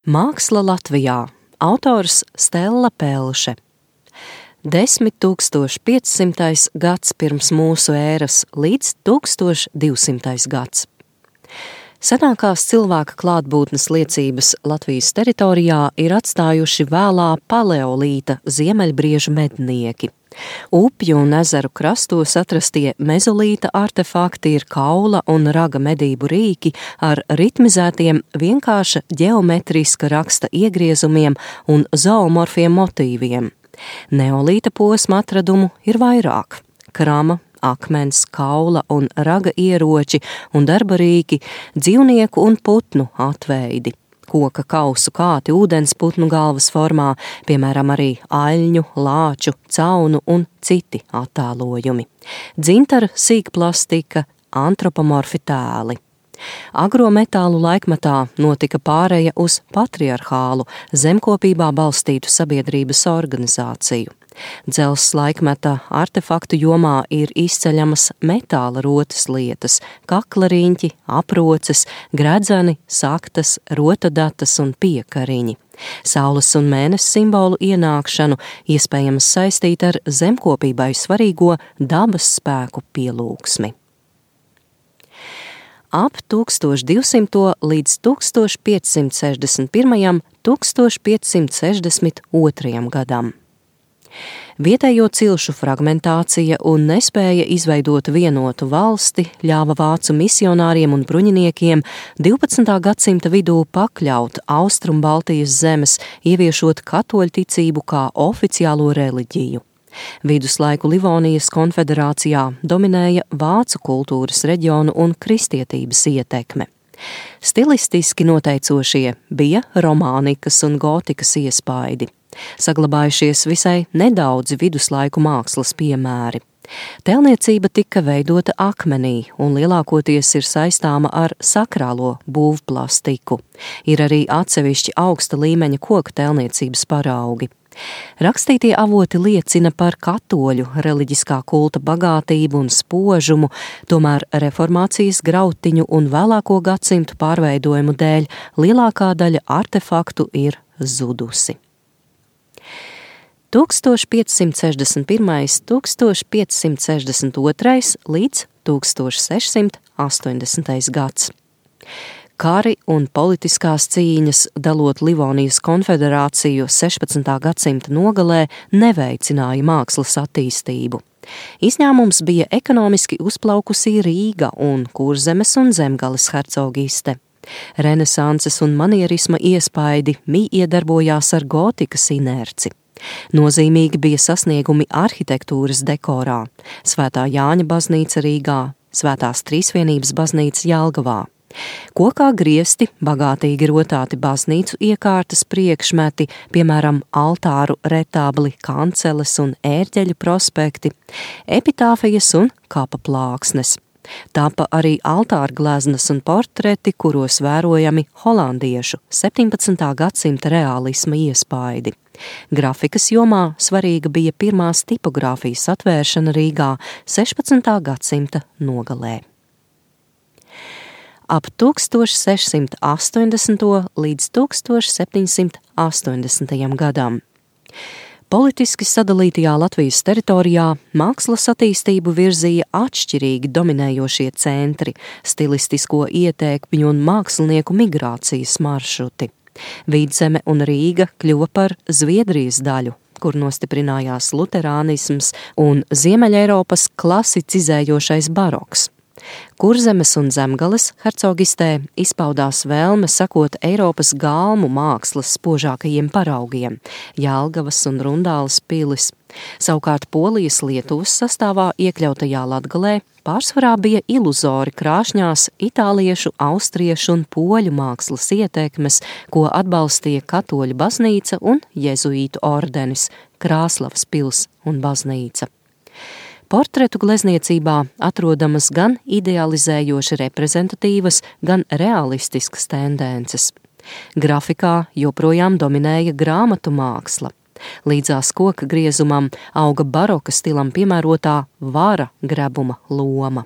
Māksla Latvijā. Autors Stella Pelše. 10.500. gads pirms mūsu ēras līdz 1200. gads. Senākās cilvēka klātbūtnes liecības Latvijas teritorijā ir atstājuši vēlā paleolīta ziemeļbriežu mednieki. Upju un ezeru krastos atrastie mezolīta artefakti ir kaula un raga medību rīki ar ritmizētiem vienkārša ģeometriska raksta iegriezumiem un zoomorfiem motīviem. Neolīta posma atradumu ir vairāk. Krama, akmens, kaula un raga ieroči un darba rīki, dzīvnieku un putnu atveidi. Koka kausu kāti ūdensputnu galvas formā, piemēram arī aļņu, lāču, caunu un citi attēlojumi. Dzintara sīkplastika, antropomorfi tēli. Agrometālu laikmetā notika pāreja uz patriarhālu, zemkopībā balstītu sabiedrības organizāciju. Dzelzs laikmeta artefaktu jomā ir izceļamas metāla rotas lietas, kaklariņķi, aproces, gredzeni, saktas, rotadatas un piekariņi. Saules un mēness simbolu ienākšanu iespējams saistīt ar zemkopībai svarīgo dabas spēku pielūgsmi. Ap 1200. līdz 1561. 1562. gadam. Vietējo cilšu fragmentācija un nespēja izveidot vienotu valsti ļāva vācu misionāriem un bruņiniekiem 12. gadsimta vidū pakļaut Austrumbaltijas zemes, ieviešot katoļticību kā oficiālo reliģiju. Viduslaiku Livonijas konfederācijā dominēja vācu kultūras reģionu un kristietības ietekme. Stilistiski noteicošie bija romānikas un gotikas iespaidi. Saglabājušies visai nedaudzi viduslaiku mākslas piemēri. Tēlniecība tika veidota akmenī un lielākoties ir saistāma ar sakrālo būvplastiku. Ir arī atsevišķi augsta līmeņa koka tēlniecības paraugi. Rakstītie avoti liecina par katoļu reliģiskā kulta bagātību un spožumu, tomēr reformācijas grautiņu un vēlāko gadsimtu pārveidojumu dēļ lielākā daļa artefaktu ir zudusi. 1561., 1562. līdz 1680. gads. Kari un politiskās cīņas, dalot Livonijas konfederāciju 16. gadsimta nogalē, neveicināja mākslas attīstību. Izņēmums bija ekonomiski uzplaukusī Rīga un Kurzemes un Zemgales hercogiste. Renesanses un manierisma iespaidi iedarbojās ar gotikas inerci. Nozīmīgi bija sasniegumi arhitektūras dekorā, Svētā Jāņa baznīca Rīgā, Svētās Trīsvienības baznīca Jelgavā. Kokā griezti, bagātīgi rotāti baznīcu iekārtas priekšmeti, piemēram, altāru retābli, kanceles un ērģeļu prospekti, epitāfijas un kapa plāksnes. Tapa arī altārgleznas un portreti, kuros vērojami holandiešu 17. gadsimta reālisma iespaidi. Grafikas jomā svarīga bija pirmās tipogrāfijas atvēršana Rīgā 16. gadsimta nogalē. Ap 1680. līdz 1780. gadam. Politiski sadalītajā Latvijas teritorijā mākslas attīstību virzīja atšķirīgi dominējošie centri, stilistisko ietekmju un mākslinieku migrācijas maršruti. Vidzeme un Rīga kļuva par Zviedrijas daļu, kur nostiprinājās luterānisms un Ziemeļeiropas klasicizējošais baroks. Kurzemes un Zemgales hercogistē izpaudās vēlme sekot Eiropas galmu mākslas spožākajiem paraugiem – Jelgavas un Rundāles pilis. Savukārt Polijas Lietuvas sastāvā iekļautajā Latgalē pārsvarā bija iluzori krāšņās itāliešu, austriešu un poļu mākslas ietekmes, ko atbalstīja katoļu baznīca un jezuītu ordenis, Krāslavas pils un baznīca. Portretu glezniecībā atrodamas gan idealizējoši reprezentatīvas, gan realistiskas tendences. Grafikā joprojām dominēja grāmatu māksla. Līdzās koka griezumam auga baroka stilam piemērotā vara grebuma loma.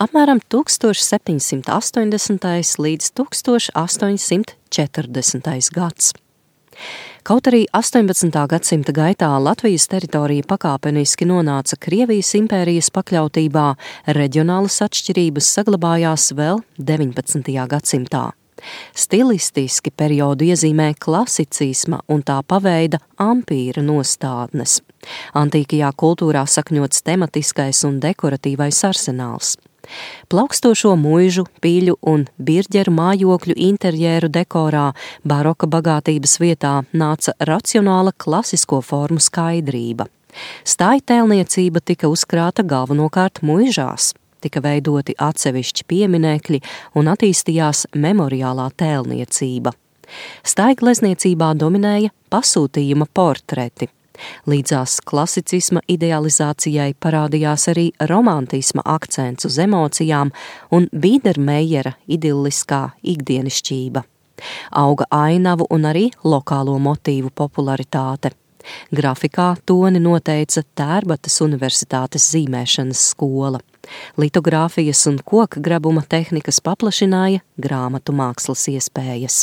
Apmēram 1780. līdz 1840. gads. Kaut arī 18. gadsimta gaitā Latvijas teritorija pakāpeniski nonāca Krievijas impērijas pakļautībā, reģionālas atšķirības saglabājās vēl 19. gadsimtā. Stilistiski periodu iezīmē klasicisma un tā paveida ampīra nostādnes. Antīkajā kultūrā sakņots tematiskais un dekoratīvais arsenāls. Plaukstošo muižu, piļu un birģeru mājokļu interjēru dekorā baroka bagātības vietā nāca racionāla klasisko formu skaidrība. Stājtēlniecība tika uzkrāta galvenokārt muižās, tika veidoti atsevišķi pieminekļi un attīstījās memoriālā tēlniecība. Stājglezniecībā dominēja pasūtījuma portreti. Līdzās klasicisma idealizācijai parādījās arī romantisma akcents uz emocijām un Bīdermejera idilliskā ikdienišķība. Auga ainavu un arī lokālo motīvu popularitāte. Grafikā toni noteica Tērbatas universitātes zīmēšanas skola. Litogrāfijas un koka grabuma tehnikas paplašināja grāmatu mākslas iespējas.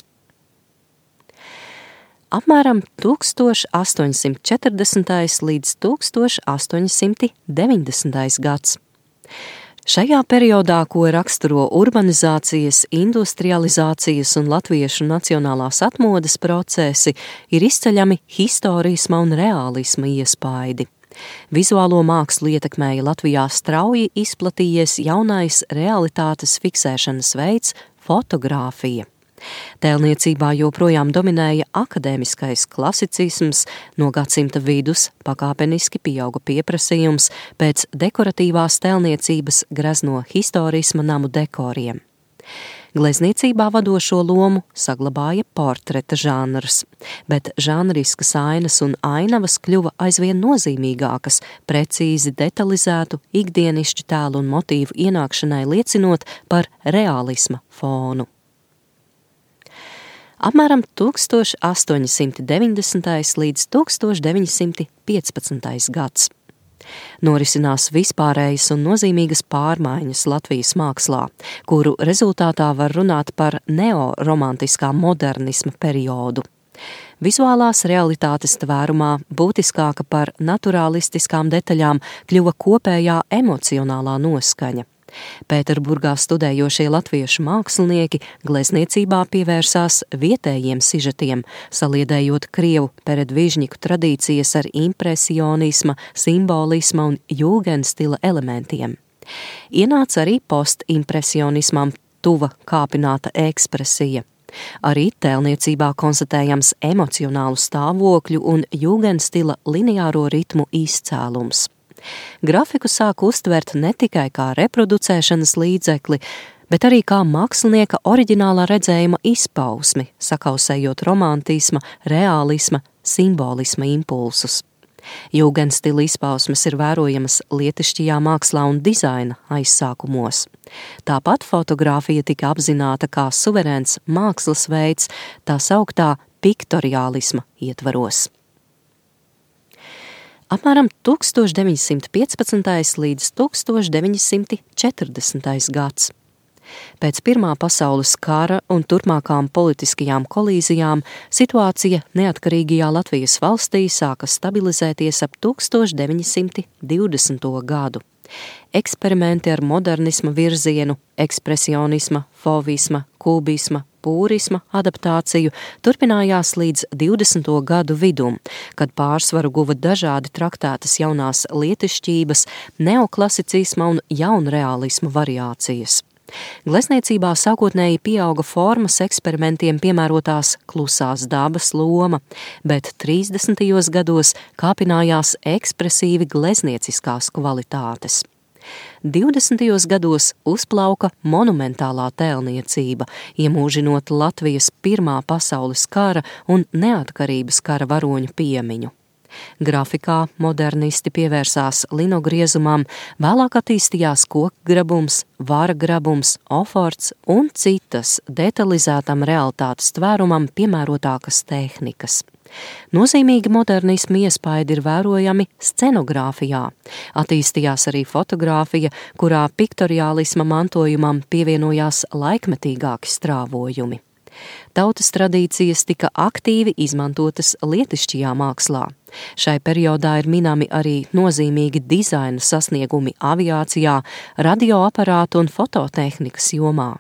Apmēram 1840. līdz 1890. gads. Šajā periodā, ko raksturo urbanizācijas, industrializācijas un latviešu nacionālās atmodes procesi, ir izceļami historisma un reālisma iespaidi. Vizuālo mākslu ietekmēja Latvijā strauji izplatījies jaunais realitātes fiksēšanas veids – fotogrāfija. Tēlniecībā joprojām dominēja akadēmiskais klasicisms, no gadsimta vidus pakāpeniski pieauga pieprasījums pēc dekoratīvās tēlniecības grezno historisma namu dekoriem. Glezniecībā vadošo lomu saglabāja portreta žanrs, bet žanriskas ainas un ainavas kļuva aizvien nozīmīgākas, precīzi detalizētu ikdienišķu tēlu un motīvu ienākšanai liecinot par reālisma fonu. Apmēram 1890. līdz 1915. gads. Norisinās vispārējas un nozīmīgas pārmaiņas Latvijas mākslā, kuru rezultātā var runāt par neoromantiskā modernisma periodu. Vizuālās realitātes tvērumā būtiskāka par naturālistiskām detaļām kļuva kopējā emocionālā noskaņa. Pēterburgā studējošie latviešu mākslinieki glezniecībā pievērsās vietējiem sižetiem, saliedējot krievu peredvižņiku tradīcijas ar impresionisma, simbolisma un jūgenstila elementiem. Ienāca arī postimpresionismam tuva kāpināta ekspresija. Arī tēlniecībā konstatējams emocionālu stāvokļu un jūgenstila lineāro ritmu izcēlums. Grafiku sāk uztvert ne tikai kā reproducēšanas līdzekli, bet arī kā mākslinieka oriģinālā redzējuma izpausmi, sakausējot romantisma, reālisma, simbolisma impulsus. Jūgenstila izpausmes ir vērojamas lietišķajā mākslā un dizaina aizsākumos. Tāpat fotogrāfija tika apzināta kā suverēns mākslas veids, tā sauktā piktoriālisma ietvaros. Apmēram 1915. līdz 1940. gads. Pēc Pirmā pasaules kara un turpmākām politiskajām kolīzijām situācija neatkarīgajā Latvijas valstī sāka stabilizēties ap 1920. gadu. Eksperimenti ar modernisma virzienu, ekspresionisma, fovisma, kubisma, pūrisma adaptāciju turpinājās līdz 20. gadu vidum, kad pārsvaru guva dažādi traktētas jaunās lietišķības, neoklasicisma un jaunreālisma variācijas. Glezniecībā sākotnēji pieauga formas eksperimentiem piemērotās klusās dabas loma, bet 30. gados kāpinājās ekspresīvi gleznieciskās kvalitātes. 20. gados uzplauka monumentālā tēlniecība, iemūžinot Latvijas Pirmā pasaules kara un neatkarības kara varoņu piemiņu. Grafikā modernisti pievērsās linogriezumam, vēlāk attīstījās kokgrabums, varagrabums, oforts un citas detalizētam realitātes tvērumam piemērotākas tehnikas. Nozīmīgi modernisma iespaidi ir vērojami scenogrāfijā. Attīstījās arī fotogrāfija, kurā piktoriālisma mantojumam pievienojās laikmetīgāki strāvojumi. Tautas tradīcijas tika aktīvi izmantotas lietišķajā mākslā. Šai periodā ir minami arī nozīmīgi dizaina sasniegumi aviācijā, radioaparātu un fototehnikas jomā.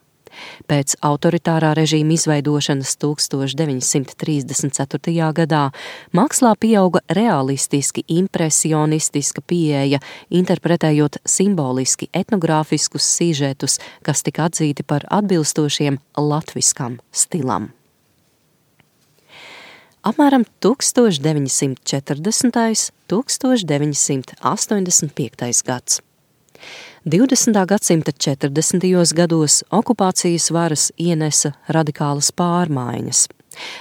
Pēc autoritārā režīma izveidošanas 1934. gadā mākslā pieauga realistiski impresionistiska pieeja, interpretējot simboliski etnogrāfiskus sižetus, kas tika atzīti par atbilstošiem latviskam stilam. Apmēram 1940. 1985. gads. 20. gadsimta 40. gados okupācijas varas ienesa radikālas pārmaiņas.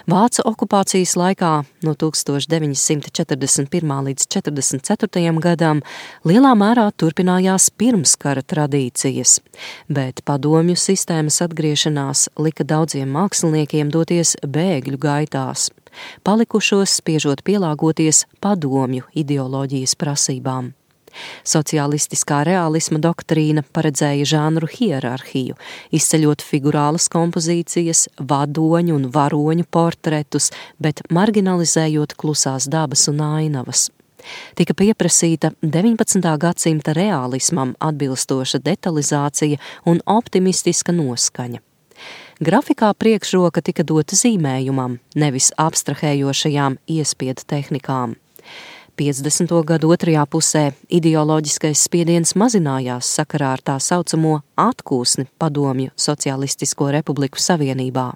Vācu okupācijas laikā no 1941. līdz 1944. gadam lielā mērā turpinājās pirmskara tradīcijas, bet padomju sistēmas atgriešanās lika daudziem māksliniekiem doties bēgļu gaitās, palikušos spiežot pielāgoties padomju ideoloģijas prasībām. Sociālistiskā realisma doktrīna paredzēja žanru hierarhiju, izceļot figurālas kompozīcijas, vadoņu un varoņu portretus, bet marginalizējot klusās dabas un ainavas. Tika pieprasīta 19. gadsimta realismam atbilstoša detalizācija un optimistiska noskaņa. Grafikā priekšroka tika dota zīmējumam, nevis abstrahējošajām iespiedu tehnikām. 50. gadu otrajā pusē ideoloģiskais spiediens mazinājās sakarā ar tā saucamo atkūsni padomju Socialistisko republiku savienībā.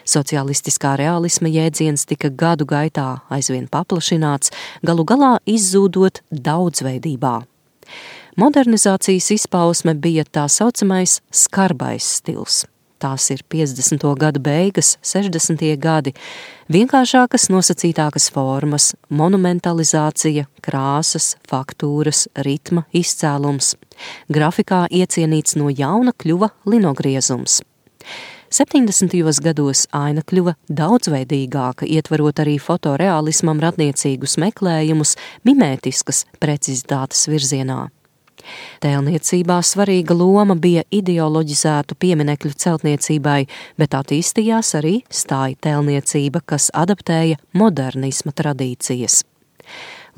Socialistiskā realisma jēdziens tika gadu gaitā aizvien paplašināts, galu galā izzūdot daudzveidībā. Modernizācijas izpausme bija tā saucamais skarbais stils. Tās ir 50. gadu beigas, 60. gadi, vienkāršākas nosacītākas formas, monumentalizācija, krāsas, faktūras, ritma izcēlums. Grafikā iecienīts no jauna kļuva linogriezums. 70. gados aina kļuva daudzveidīgāka, ietverot arī fotorealismam radniecīgus meklējumus mimētiskas precizitātes virzienā. Tēlniecībā svarīga loma bija ideoloģizētu pieminekļu celtniecībai, bet attīstījās arī stāja tēlniecība, kas adaptēja modernisma tradīcijas.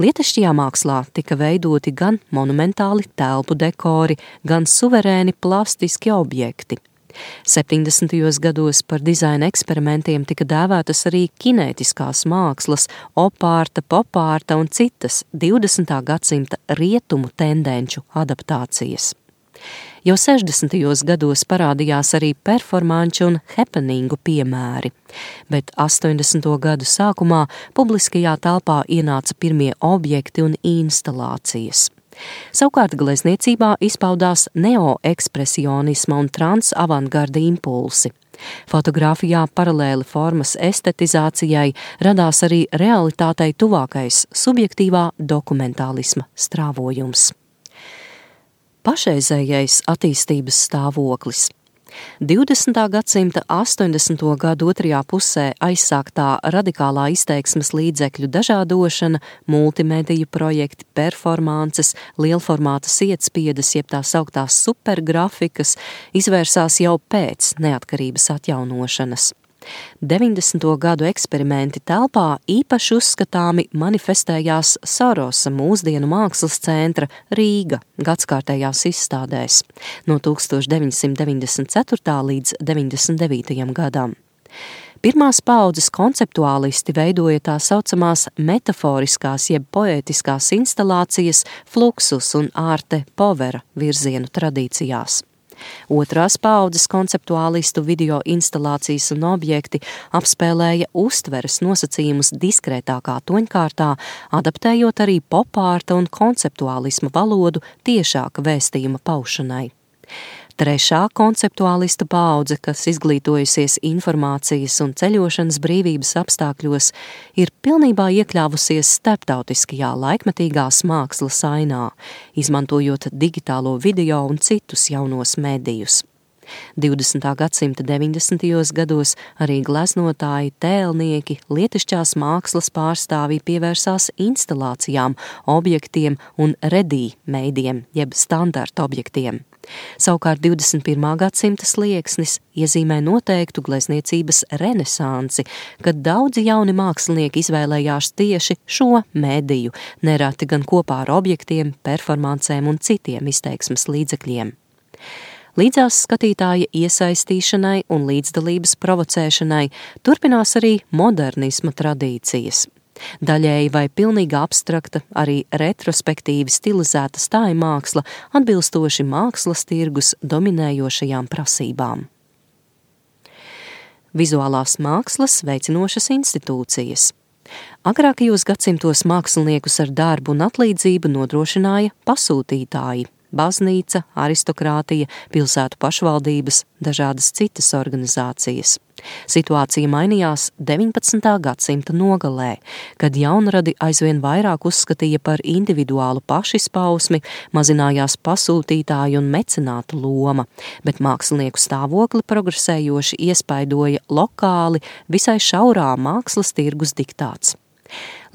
Lietišķajā mākslā tika veidoti gan monumentāli telpu dekori, gan suverēni plastiski objekti. 70. gados par dizaina eksperimentiem tika dēvētas arī kinētiskās mākslas, opārta, popārta un citas 20. gadsimta rietumu tendenču adaptācijas. Jau 60. gados parādījās arī performanču un happeningu piemēri, bet 80. gadu sākumā publiskajā telpā ienāca pirmie objekti un instalācijas. Savukārt glezniecībā izpaudās neoekspresionisma un transavantgarda impulsi. Fotogrāfijā paralēli formas estetizācijai radās arī realitātei tuvākais subjektīvā dokumentālisma strāvojums. Pašreizējais attīstības stāvoklis. 20. gadsimta 80. gadu otrajā pusē aizsāktā radikālā izteiksmes līdzekļu dažādošana, multimediju projekti, performances, lielformāta sietspiedes, jeb tā sauktās supergrafikas, izvērsās jau pēc neatkarības atjaunošanas. 90. gadu eksperimenti telpā īpaši uzskatāmi manifestējās Sorosa mūsdienu mākslas centra Rīga gadskārtējās izstādēs no 1994. līdz 99. gadam. Pirmās paaudzes konceptuālisti veidoja tā saucamās metaforiskās jeb poētiskās instalācijas Fluxus un Arte Povera virzienu tradīcijās. Otrās paaudzes konceptuālistu video instalācijas un objekti apspēlēja uztveres nosacījumus diskrētākā toņkārtā, adaptējot arī popārta un konceptuālisma valodu tiešāka vēstījuma paušanai. Trešā konceptuālistu paudze, kas izglītojusies informācijas un ceļošanas brīvības apstākļos, ir pilnībā iekļāvusies starptautiskajā laikmetīgās mākslas ainā, izmantojot digitālo video un citus jaunos medijus. 20. gadsimta 90. gados arī gleznotāji, tēlnieki, lietišķās mākslas pārstāvji pievērsās instalācijām, objektiem un ready-meidiem, jeb standarta objektiem. Savukārt 21. gadsimta slieksnis iezīmē noteiktu glezniecības renesansi, kad daudzi jauni mākslinieki izvēlējās tieši šo mediju, nereti gan kopā ar objektiem, performancēm un citiem izteiksmes līdzekļiem. Līdzās skatītāja iesaistīšanai un līdzdalības provocēšanai turpinās arī modernisma tradīcijas. Daļēji vai pilnīgi abstrakta, arī retrospektīvi stilizēta stājmāksla atbilstoši mākslas tirgus dominējošajām prasībām. Vizuālās mākslas veicinošas institūcijas. Agrākajos gadsimtos māksliniekus ar darbu un atlīdzību nodrošināja pasūtītāji, baznīca, aristokrātija, pilsētu pašvaldības, dažādas citas organizācijas. Situācija mainījās 19. gadsimta nogalē, kad jaunradi aizvien vairāk uzskatīja par individuālu pašizpausmi, mazinājās pasūtītāju un mecenātu loma, bet mākslinieku stāvokli progresējoši iespaidoja lokāli visai šaurā mākslas tirgus diktāts.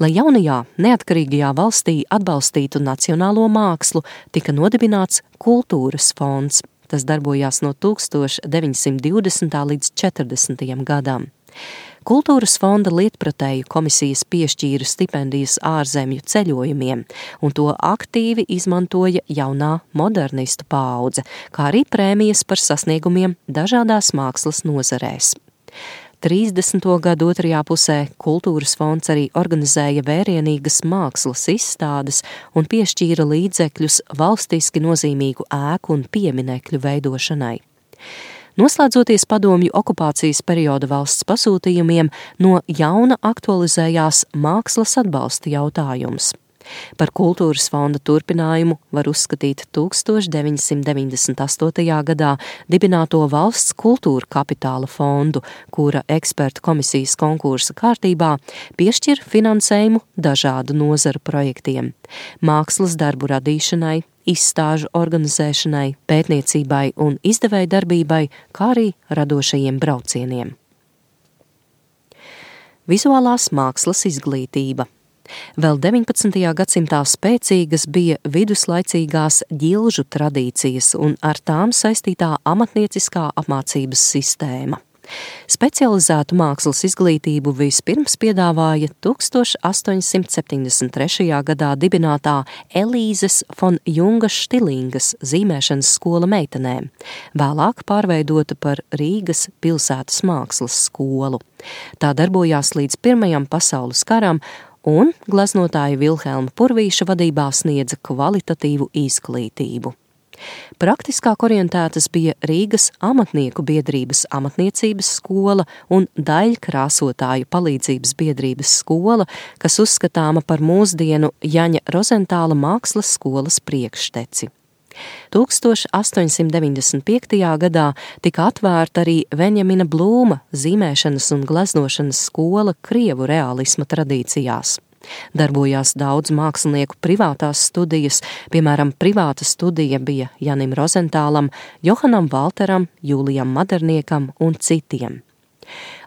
Lai jaunajā, neatkarīgajā valstī atbalstītu nacionālo mākslu, tika nodibināts Kultūras fonds. Tas darbojās no 1920. līdz 40. gadam. Kultūras fonda lietpratēju komisijas piešķīra stipendijas ārzemju ceļojumiem, un to aktīvi izmantoja jaunā modernistu paudze, kā arī prēmijas par sasniegumiem dažādās mākslas nozarēs. 30. gadu otrajā pusē Kultūras fonds arī organizēja vērienīgas mākslas izstādes un piešķīra līdzekļus valstiski nozīmīgu ēku un pieminekļu veidošanai. Noslēdzoties padomju okupācijas perioda valsts pasūtījumiem, no jauna aktualizējās mākslas atbalsta jautājums. Par Kultūras fonda turpinājumu var uzskatīt 1998. gadā dibināto valsts kultūra kapitāla fondu, kura ekspertu komisijas konkursa kārtībā piešķir finansējumu dažādu nozaru projektiem – mākslas darbu radīšanai, izstāžu organizēšanai, pētniecībai un izdevēju darbībai, kā arī radošajiem braucieniem. Vizuālās mākslas izglītība. Vēl 19. gadsimtā spēcīgas bija viduslaicīgās ģilžu tradīcijas un ar tām saistītā amatnieciskā apmācības sistēma. Specializētu mākslas izglītību vispirms piedāvāja 1873. gadā dibinātā Elīzes von Jungas Štilingas zīmēšanas skola meitenēm, vēlāk pārveidota par Rīgas pilsētas mākslas skolu. Tā darbojās līdz Pirmajam pasaules karam, un gleznotāja Vilhelma Purvīša vadībā sniedza kvalitatīvu izglītību. Praktiskāk orientētas bija Rīgas amatnieku biedrības amatniecības skola un daļkrāsotāju palīdzības biedrības skola, kas uzskatāma par mūsdienu Jaņa Rozentāla mākslas skolas priekšteci. 1895. gadā tika atvērta arī Venjamina Blūma zīmēšanas un gleznošanas skola krievu realisma tradīcijās. Darbojās daudz mākslinieku privātās studijas, piemēram, privāta studija bija Janim Rozentālam, Johanam Valteram, Jūlijam Maderniekam un citiem.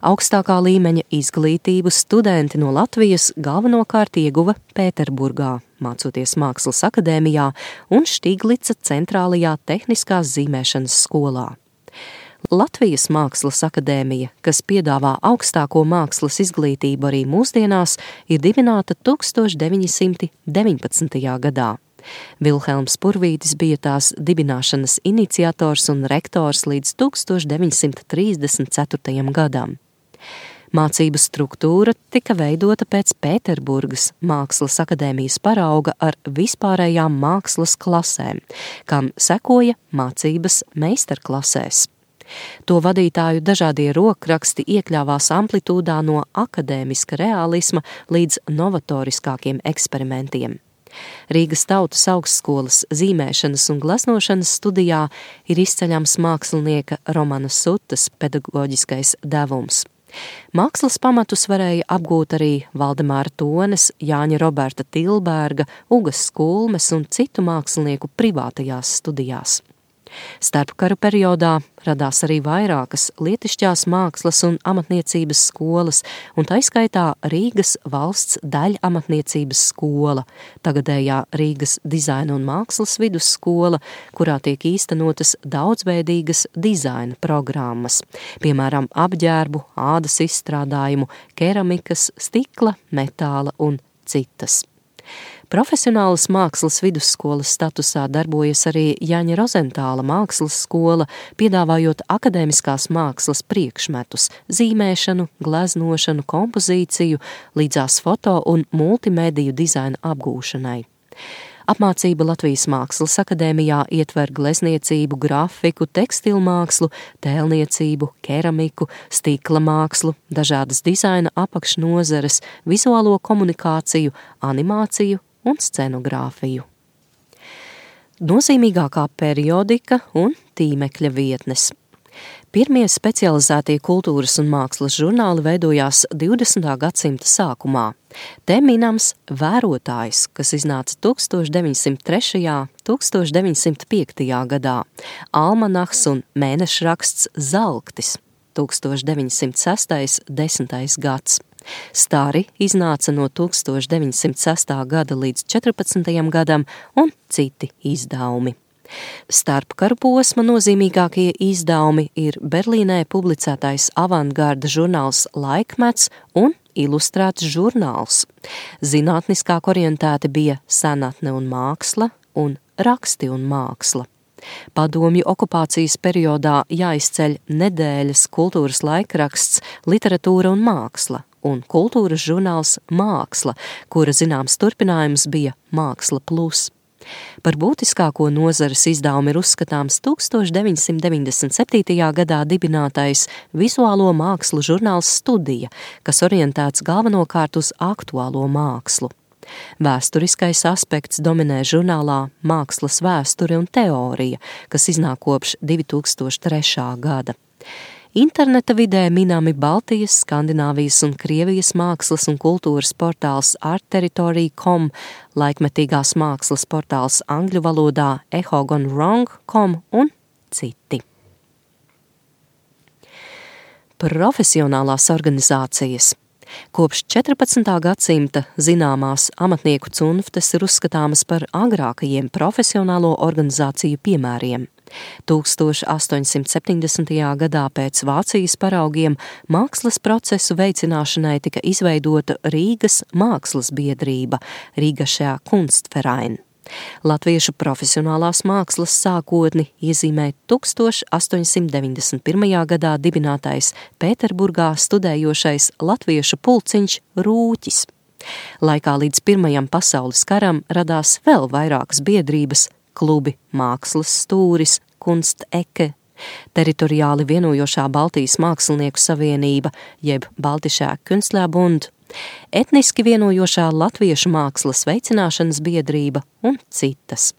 Augstākā līmeņa izglītību studenti no Latvijas galvenokārt ieguva Pēterburgā, mācoties Mākslas akadēmijā un Štiglica centrālajā tehniskās zīmēšanas skolā. Latvijas Mākslas akadēmija, kas piedāvā augstāko mākslas izglītību arī mūsdienās, ir dibināta 1919. gadā. Vilhelms Purvītis bija tās dibināšanas iniciators un rektors līdz 1934. gadam. Mācību struktūra tika veidota pēc Pēterburgas Mākslas akadēmijas parauga ar vispārējām mākslas klasēm, kam sekoja mācības meistarklasēs. To vadītāju dažādie rokraksti iekļāvās amplitūdā no akadēmiska realisma līdz novatoriskākiem eksperimentiem. Rīgas Tautas augstskolas zīmēšanas un gleznošanas studijā ir izceļams mākslinieka Romana Sutas pedagoģiskais devums. Mākslas pamatus varēja apgūt arī Valdemāra Tones, Jāņa Roberta Tilberga, Ugas Skulmes un citu mākslinieku privātajās studijās. Starpkaru periodā radās arī vairākas lietišķās mākslas un amatniecības skolas, un tā izskaitā Rīgas valsts daļamatniecības skola, tagadējā Rīgas dizaina un mākslas vidusskola, kurā tiek īstenotas daudzveidīgas dizaina programmas, piemēram, apģērbu, ādas izstrādājumu, keramikas, stikla, metāla un citas. Profesionālas mākslas vidusskolas statusā darbojas arī Jaņa Rozentāla mākslas skola, piedāvājot akadēmiskās mākslas priekšmetus, zīmēšanu, gleznošanu, kompozīciju, līdzās foto un multimediju dizaina apgūšanai. Apmācība Latvijas Mākslas akadēmijā ietver glezniecību, grafiku, tekstilmākslu, tēlniecību, keramiku, stikla mākslu, dažādas dizaina apakšnozares, vizuālo komunikāciju, animāciju un scenogrāfiju. Nozīmīgākā periodika un tīmekļa vietnes. Pirmie specializētie kultūras un mākslas žurnāli veidojās 20. gadsimta sākumā. Te minams Vērotājs, kas iznāca 1903. 1905. gadā, Almanahs un mēnešraksts Zalktis 1906. 10. gads. Stari iznāca no 1906. gada līdz 14. gadam un citi izdevumi. Starpkaru posma nozīmīgākie izdevumi ir Berlīnē publicētais avantgarda žurnāls Laikmets un ilustrēts žurnāls. Zinātniskāk orientēti bija Senatne un māksla un Raksti un māksla. Padomju okupācijas periodā jāizceļ Nedēļas kultūras laikraksts Literatūra un māksla un kultūras žurnāls Māksla, kura zināms turpinājums bija Māksla plus. Par būtiskāko nozares izdevumu ir uzskatāms 1997. gadā dibinātais vizuālo mākslu žurnāls Studija, kas orientēts galvenokārt uz aktuālo mākslu. Vēsturiskais aspekts dominē žurnālā Mākslas vēsture un teorija, kas iznāk kopš 2003. gada. Interneta vidē minami Baltijas, Skandināvijas un Krievijas mākslas un kultūras portāls artterritory.com, laikmetīgās mākslas portāls angļu valodā echogonwrong.com un citi. Profesionālās organizācijas. Kopš 14. gadsimta zināmās amatnieku cunftes ir uzskatāmas par agrākajiem profesionālo organizāciju piemēriem. 1870. gadā pēc Vācijas paraugiem mākslas procesu veicināšanai tika izveidota Rīgas mākslas biedrība, Rīgašajā Kunstverein. Latviešu profesionālās mākslas sākotni iezīmē 1891. gadā dibinātais Pēterburgā studējošais latviešu pulciņš Rūķis. Laikā līdz Pirmajam pasaules karam radās vēl vairākas biedrības, klubi Mākslas stūris, Kunstecke, teritoriāli vienojošā Baltijas mākslinieku savienība, jeb Baltischer Künstlerbund, etniski vienojošā Latviešu mākslas veicināšanas biedrība un citas.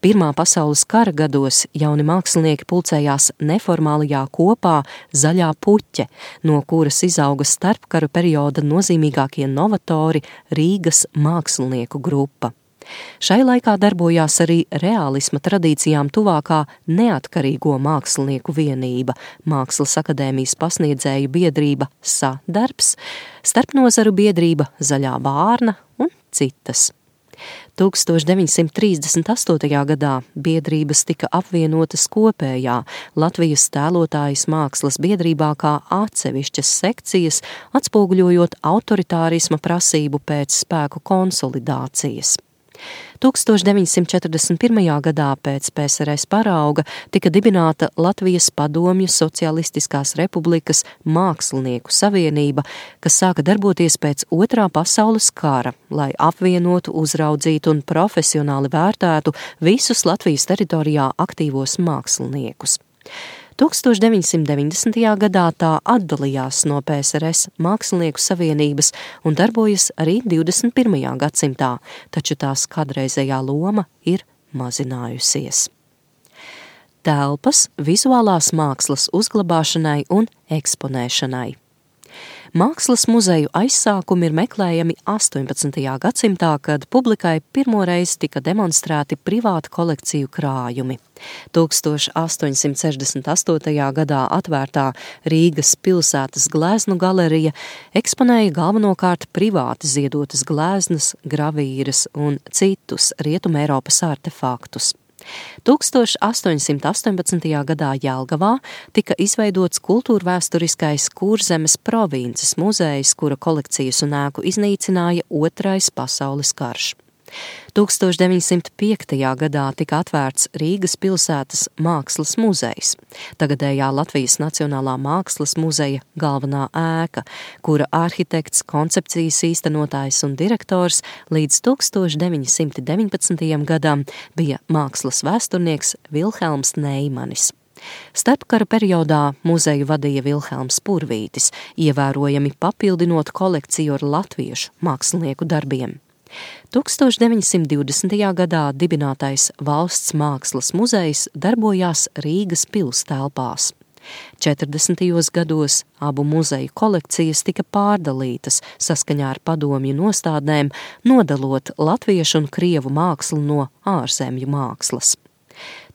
Pirmā pasaules kara gados jauni mākslinieki pulcējās neformālajā kopā Zaļā puķe, no kuras izauga starpkaru perioda nozīmīgākie novatori Rīgas mākslinieku grupa. Šai laikā darbojās arī reālisma tradīcijām tuvākā neatkarīgo mākslinieku vienība, Mākslas akadēmijas pasniedzēju biedrība Sadarbs, starpnozaru biedrība Zaļā vārna un citas. 1938. gadā biedrības tika apvienotas kopējā Latvijas tēlotājas mākslas biedrībā kā atsevišķas sekcijas, atspoguļojot autoritārisma prasību pēc spēku konsolidācijas. 1941. gadā pēc PSRS parauga tika dibināta Latvijas Padomju Socialistiskās Republikas Mākslinieku savienība, kas sāka darboties pēc Otrā pasaules kara, lai apvienotu, uzraudzītu un profesionāli vērtētu visus Latvijas teritorijā aktīvos māksliniekus. 1990. gadā tā atdalījās no PSRS Mākslinieku savienības un darbojas arī 21. gadsimtā, taču tās kādreizējā loma ir mazinājusies. Telpas vizuālās mākslas uzglabāšanai un eksponēšanai. Mākslas muzeju aizsākumi ir meklējami 18. gadsimtā, kad publikai pirmoreiz tika demonstrēti privātu kolekciju krājumi. 1868. gadā atvērtā Rīgas pilsētas gleznu galerija eksponēja galvenokārt privāti ziedotas gleznas, gravīras un citus Rietumē Eiropas artefaktus. 1818. gadā Jelgavā tika izveidots kultūrvēsturiskais Kurzemes provinces muzejs, kura kolekcijas un ēku iznīcināja Otrais pasaules karš. 1905. gadā tika atvērts Rīgas pilsētas mākslas muzejs, tagadējā Latvijas Nacionālā mākslas muzeja galvenā ēka, kura arhitekts, koncepcijas īstenotājs un direktors līdz 1919. gadam bija mākslas vēsturnieks Vilhelms Neimanis. Starpkara periodā muzeju vadīja Vilhelms Purvītis, ievērojami papildinot kolekciju ar latviešu mākslinieku darbiem. 1920. gadā dibinātais Valsts mākslas muzejs darbojās Rīgas pils telpās. 40. gados abu muzeju kolekcijas tika pārdalītas saskaņā ar padomju nostādnēm, nodalot latviešu un krievu mākslu no ārzemju mākslas.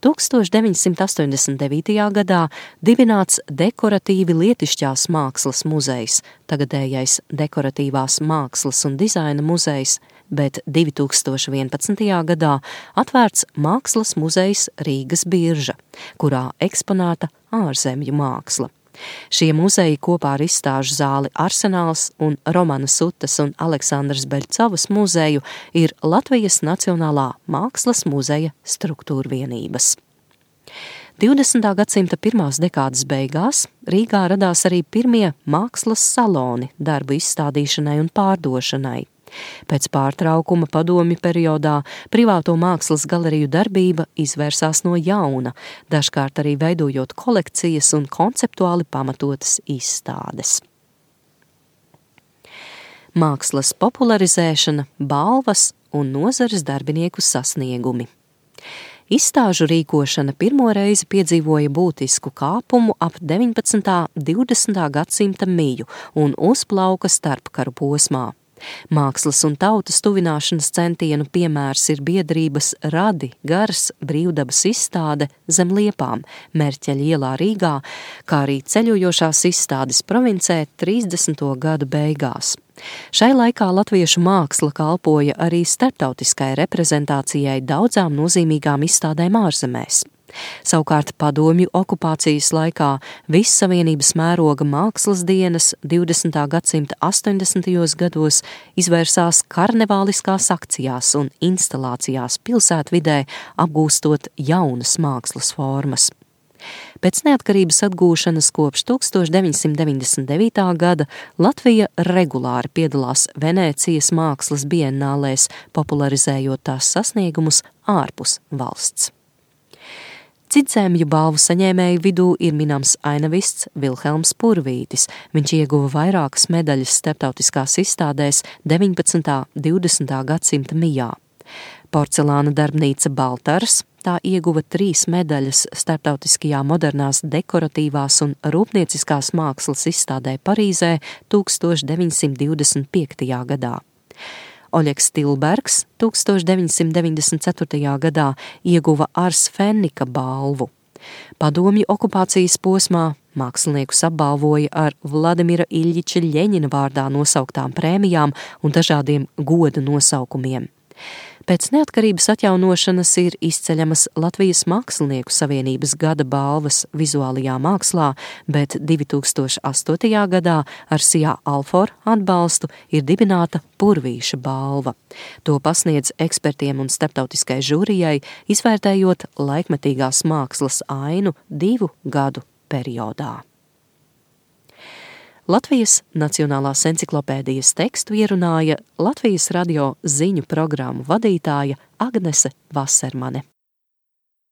1989. gadā dibināts dekoratīvi lietišķās mākslas muzejs, tagadējais dekoratīvās mākslas un dizaina muzejs, bet 2011. gadā atvērts mākslas muzejs Rīgas Birža, kurā eksponēta ārzemju māksla. Šie muzeji kopā ar izstāžu zāli Arsenāls un Romana Sutas un Aleksandras Beļcovas muzeju ir Latvijas Nacionālā mākslas muzeja struktūrvienības. 20. gadsimta pirmās dekādes beigās Rīgā radās arī pirmie mākslas saloni darbu izstādīšanai un pārdošanai. Pēc pārtraukuma padomju periodā privāto mākslas galeriju darbība izvērsās no jauna, dažkārt arī veidojot kolekcijas un konceptuāli pamatotas izstādes. Mākslas popularizēšana, balvas un nozares darbinieku sasniegumi. Izstāžu rīkošana pirmo reizi piedzīvoja būtisku kāpumu ap 19. 20. gadsimta miju un uzplauka starpkaru posmā. Mākslas un tautas tuvināšanas centienu piemērs ir biedrības Radi Gars brīvdabas izstāde zem Liepām, Merķeļa ielā Rīgā, kā arī ceļojošās izstādes provincē 30. gadu beigās. Šai laikā latviešu māksla kalpoja arī starptautiskai reprezentācijai daudzām nozīmīgām izstādēm ārzemēs. Savukārt padomju okupācijas laikā vissavienības mēroga mākslas dienas 20. gadsimta 80. gados izvērsās karnevāliskās akcijās un instalācijās pilsētvidē, apgūstot jaunas mākslas formas. Pēc neatkarības atgūšanas kopš 1999. gada Latvija regulāri piedalās Venēcijas mākslas biennālēs, popularizējot tās sasniegumus ārpus valsts. Citzemju balvu saņēmēju vidū ir minams ainavists Vilhelms Purvītis. Viņš ieguva vairākas medaļas starptautiskās izstādēs 19. 20. gadsimta mijā. Porcelāna darbnīca Baltars, tā ieguva 3 medaļas starptautiskajā modernās dekoratīvās un rūpnieciskās mākslas izstādē Parīzē 1925. gadā. Oļegs Tilbergs 1994. gadā ieguva Ars Fennika balvu. Padomju okupācijas posmā māksliniekus apbalvoja ar Vladimira Iļļiča Ļeņina vārdā nosauktām prēmijām un dažādiem goda nosaukumiem. Pēc neatkarības atjaunošanas ir izceļamas Latvijas Mākslinieku savienības gada balvas vizuālajā mākslā, bet 2008. gadā ar Sijā Alfor atbalstu ir dibināta Purvīša balva. To pasniedz ekspertiem un starptautiskai žūrijai, izvērtējot laikmetīgās mākslas ainu 2 gadu periodā. Latvijas Nacionālās enciklopēdijas tekstu ierunāja Latvijas radio ziņu programmu vadītāja Agnese Vasermane.